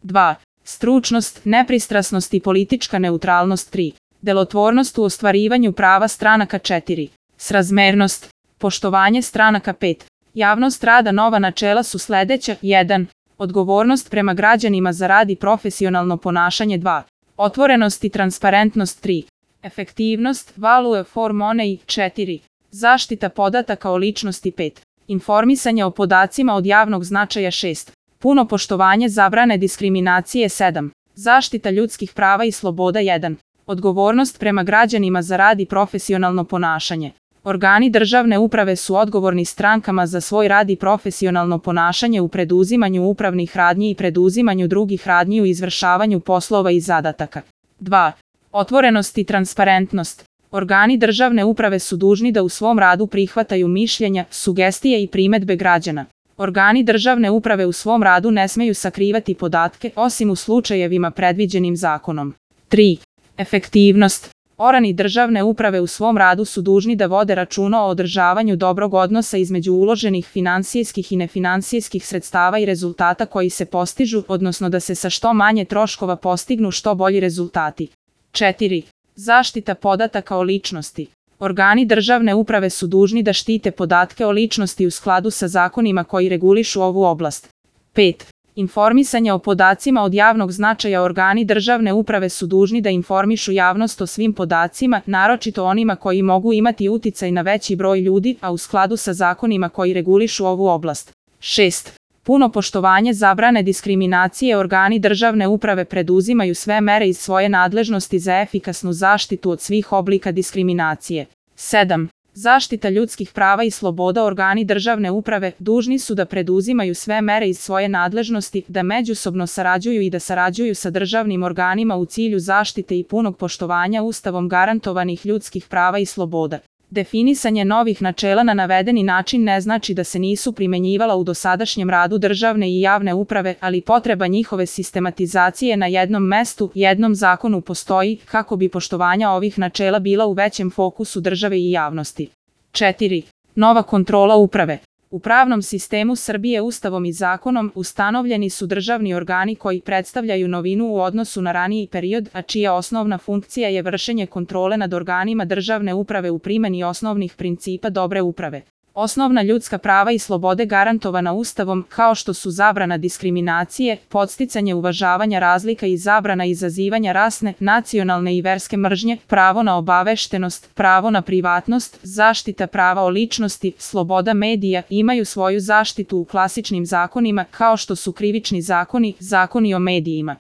2. Stručnost, nepristrasnost i politička neutralnost. 3. Delotvornost u ostvarivanju prava stranaka. 4. Srazmernost, poštovanje stranaka. 5. Javnost rada. Nova načela su sledeća. 1. Odgovornost prema građanima za rad i profesionalno ponašanje. 2. Otvorenost i transparentnost. 3. Efektivnost, value for money. 4. Zaštita podataka o ličnosti. 5. Informisanje o podacima od javnog značaja. 6. Puno poštovanje zabrane diskriminacije. 7. Zaštita ljudskih prava i sloboda. 1. Odgovornost prema građanima za rad i profesionalno ponašanje. Organi državne uprave su odgovorni strankama za svoj rad i profesionalno ponašanje u preduzimanju upravnih radnji i preduzimanju drugih radnji u izvršavanju poslova i zadataka. 2. Otvorenost i transparentnost. Organi državne uprave su dužni da u svom radu prihvataju mišljenja, sugestije i primedbe građana. Organi državne uprave u svom radu ne smeju sakrivati podatke, osim u slučajevima predviđenim zakonom. 3. Efektivnost. Organi državne uprave u svom radu su dužni da vode računa o održavanju dobrog odnosa između uloženih finansijskih i nefinansijskih sredstava i rezultata koji se postižu, odnosno da se sa što manje troškova postignu što bolji rezultati. 4. Zaštita podataka o ličnosti. Organi državne uprave su dužni da štite podatke o ličnosti u skladu sa zakonima koji regulišu ovu oblast. 5. Informisanje o podacima od javnog značaja. Organi državne uprave su dužni da informišu javnost o svim podacima, naročito onima koji mogu imati uticaj na veći broj ljudi, a u skladu sa zakonima koji regulišu ovu oblast. 6. Puno poštovanje zabrane diskriminacije. Organi državne uprave preduzimaju sve mere iz svoje nadležnosti za efikasnu zaštitu od svih oblika diskriminacije. 7. Zaštita ljudskih prava i sloboda. Organi državne uprave dužni su da preduzimaju sve mere iz svoje nadležnosti, da međusobno sarađuju i da sarađuju sa državnim organima u cilju zaštite i punog poštovanja Ustavom garantovanih ljudskih prava i sloboda. Definisanje novih načela na navedeni način ne znači da se nisu primenjivala u dosadašnjem radu državne i javne uprave, ali potreba njihove sistematizacije na jednom mestu, jednom zakonu postoji, kako bi poštovanja ovih načela bila u većem fokusu države i javnosti. 4. Nova kontrola uprave. U pravnom sistemu Srbije Ustavom i zakonom ustanovljeni su državni organi koji predstavljaju novinu u odnosu na raniji period, a čija osnovna funkcija je vršenje kontrole nad organima državne uprave u primeni osnovnih principa dobre uprave. Osnovna ljudska prava i slobode garantovana Ustavom, kao što su zabrana diskriminacije, podsticanje uvažavanja razlika i zabrana izazivanja rasne, nacionalne i verske mržnje, pravo na obaveštenost, pravo na privatnost, zaštita prava o ličnosti, sloboda medija, imaju svoju zaštitu u klasičnim zakonima, kao što su krivični zakoni, zakoni o medijima.